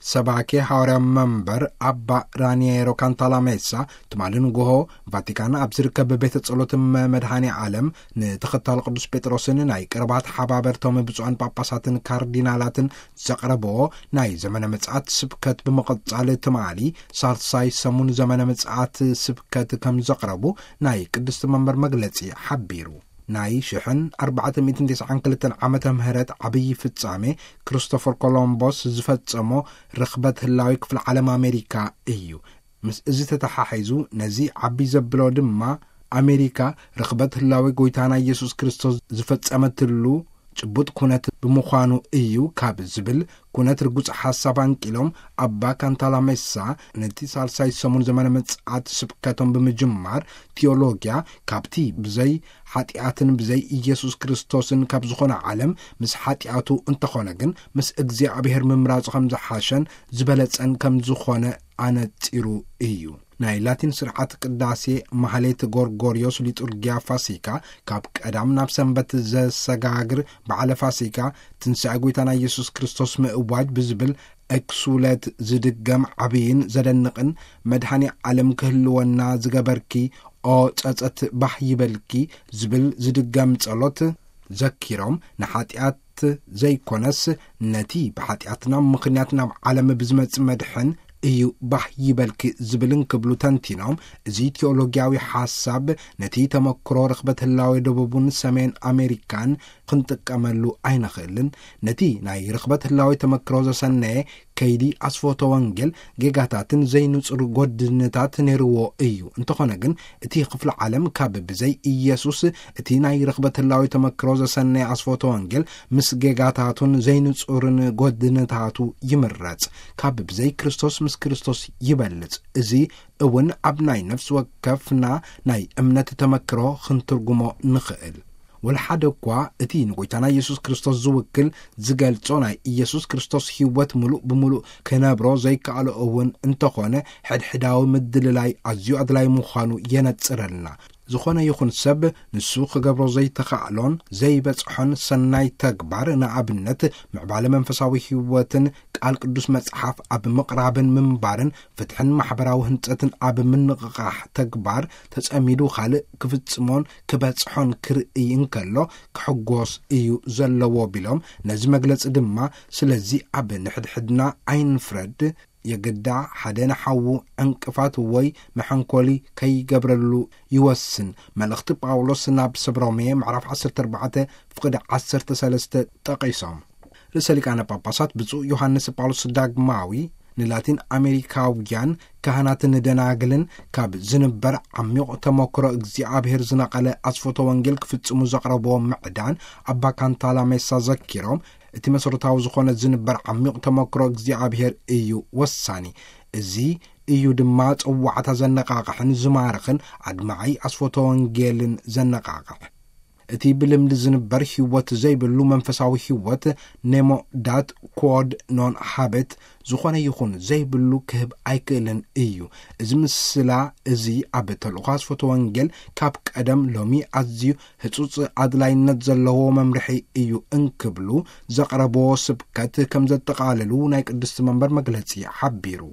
ሰባኬ ሐዋርያ መንበር ኣባ ራኒየሮ ካንታላሜሳ ትማሊ ንግሆ ቫቲካን ኣብ ዝርከብ ቤተ ጸሎት መድኃኔ ዓለም ንተኸታሊ ቅዱስ ጴጥሮስን ናይ ቅርባት ሓባበርቶም ብፁዓን ጳጳሳትን ካርዲናላትን ዘቕረብዎ ናይ ዘመነ ምጽኣት ስብከት ብምቕጻል ትማሊ ሳልሳይ ሰሙን ዘመነ ምጽኣት ስብከት ከም ዘቕረቡ ናይ ቅድስቲ መንበር መግለጺ ሓቢሩ። ናይ ሽሕን ኣርባዕተ ሚእትን ተስዓን ክልተን ዓመተ ምህረት ዓብዪ ፍጻሜ ክርስቶፈር ኮሎምቦስ ዝፈጸሞ ርኽበት ህላዊ ክፍለ ዓለም ኣሜሪካ እዩ። ምስ እዚ ተተሓሒዙ ነዚ ዓቢ ዘብሎ ድማ ኣሜሪካ ርኽበት ህላዊ ጎይታና ኢየሱስ ክርስቶስ ዝፈጸመትሉ ጭቡጥ ኩነት ብምዃኑ እዩ ካብ ዝብል ኩነት ርጉጽ ሓሳብ ኣንቂሎም ኣባ ካንታላሜሳ ነቲ ሳልሳይ ሰሙን ዘመነ ምጽኣት ስብከቶም ብምጅማር ቲዮሎጊያ ካብቲ ብዘይ ሓጢኣትን ብዘይ ኢየሱስ ክርስቶስን ካብ ዝኾነ ዓለም ምስ ሓጢኣቱ እንተኾነ ግን ምስ እግዚኣብሔር ምምራጹ ከም ዝሓሸን ዝበለጸን ከም ዝኾነ ኣነጺሩ እዩ። ናይ ላቲን ስርዓት ቅዳሴ ማህሌት ጎርጎርዮስ ሊጡርጊያ ፋሲካ ካብ ቀዳም ናብ ሰንበት ዘሰጋግር በዓለ ፋሲካ ትንሳኤ ጎይታና ኢየሱስ ክርስቶስ ምእዋጅ ብዝብል ኤክሱለት ዝድገም ዓብይን ዘደንቕን መድኃኔ ዓለም ክህልወና ዝገበርኪ ኦ ጸጸት ባህ ይበልኪ ዝብል ዝድገም ጸሎት ዘኪሮም ንሓጢኣት ዘይኮነስ ነቲ ብሓጢኣትና ምኽንያት ናብ ዓለም ብዝመጽእ መድሕን እዩ ባህ ይበልኪ ዝብል እንክብሉ ተንቲኖም፣ እዚ ቲዮሎጊያዊ ሓሳብ ነቲ ተመክሮ ርኽበት ህላዌ ደቡብን ሰሜን ኣሜሪካን ክንጥቀመሉ ኣይንኽእልን። ነቲ ናይ ርኽበት ህላዌ ተመክሮ ዘሰነየ ከይዲ ኣስፎቶ ወንጌል ጌጋታትን ዘይንጹር ጎድንታት ነይርዎ እዩ። እንተኾነ ግን እቲ ክፍለ ዓለም ካብ ብዘይ ኢየሱስ እቲ ናይ ርኽበት ህላዌ ተመክሮ ዘሰነየ ኣስፎቶ ወንጌል ምስ ጌጋታቱን ዘይንጹርን ጎድንታቱ ይምረጽ። ካብ ብዘይ ክርስቶስ ምስ ክርስቶስ ይበልጽ። እዚ እውን ኣብ ናይ ነፍሲ ወከፍና ናይ እምነት ተመክሮ ክንትርጉሞ ንኽእል። ወላ ሓደ እኳ እቲ ንጎይታና ኢየሱስ ክርስቶስ ዝውክል ዝገልጾ ናይ ኢየሱስ ክርስቶስ ህይወት ምሉእ ብምሉእ ክነብሮ ዘይከኣሎ እውን እንተኾነ፣ ሕድሕዳዊ ምድልላይ ኣዝዩ ኣድላይ ምዃኑ የነጽረልና። ዝኾነ ይኹን ሰብ ንሱ ክገብሮ ዘይተኻእሎን ዘይበጽሖን ሰናይ ተግባር፣ ንኣብነት ምዕባለ መንፈሳዊ ህይወትን ቃል ቅዱስ መጽሓፍ ኣብ ምቕራብን ምንባርን ፍትሕን ማሕበራዊ ህንጸትን ኣብ ምንቕቓሕ ተግባር ተጸሚዱ ካልእ ክፍጽሞን ክበጽሖን ክርእይ እንከሎ ክሕጎስ እዩ ዘለዎ ቢሎም፣ ነዚ መግለጺ ድማ ስለዚ ኣብ ንሕድሕድና ኣይንፍረድ፣ የግዳ ሓደ ንሓዉ ዕንቅፋት ወይ መሐንኮሊ ከይገብረሉ ይወስን። መልእኽቲ ጳውሎስ ናብ ሰብ ሮሜ ምዕራፍ ዓሰርተ ኣርባዕተ ፍቕዲ ዓሰርተ ሰለስተ ጠቒሶም። ርእሰ ሊቃነ ጳጳሳት ብፁዕ ዮሃንስ ጳውሎስ ዳግማዊ ንላቲን ኣሜሪካውያን ካህናትን ደናግልን ካብ ዝንበር ዓሚቕ ተመክሮ እግዚኣብሔር ዝነቐለ ኣስፎቶ ወንጌል ክፍጽሙ ዘቕረብዎ ምዕዳን ኣባ ካንታላ ሜሳ ዘኪሮም፣ እቲ መሰረታዊ ዝኾነ ዝንበር ዓሚቕ ተመክሮ እግዚኣብሔር እዩ ወሳኒ። እዚ እዩ ድማ ጽዋዕታ ዘነቓቕሕን ዝማርኽን ኣድማዒ ኣስፎቶ ወንጌልን ዘነቓቕሕ። እቲ ብልምዲ ዝንበር ህይወት ዘይብሉ መንፈሳዊ ህይወት፣ ኔሞ ዳት ኳድ ኖን ሃበት፣ ዝኾነ ይኹን ዘይብሉ ክህብ ኣይክእልን እዩ። እዚ ምስላ እዚ ኣብ ተልእኾ ኣስፎቶ ወንጌል ካብ ቀደም ሎሚ ኣዝዩ ህጹጽ ኣድላይነት ዘለዎ መምርሒ እዩ እንክብሉ ዘቕረብዎ ስብከት ከም ዘጠቓለሉ ናይ ቅድስቲ መንበር መግለጺ ሓቢሩ።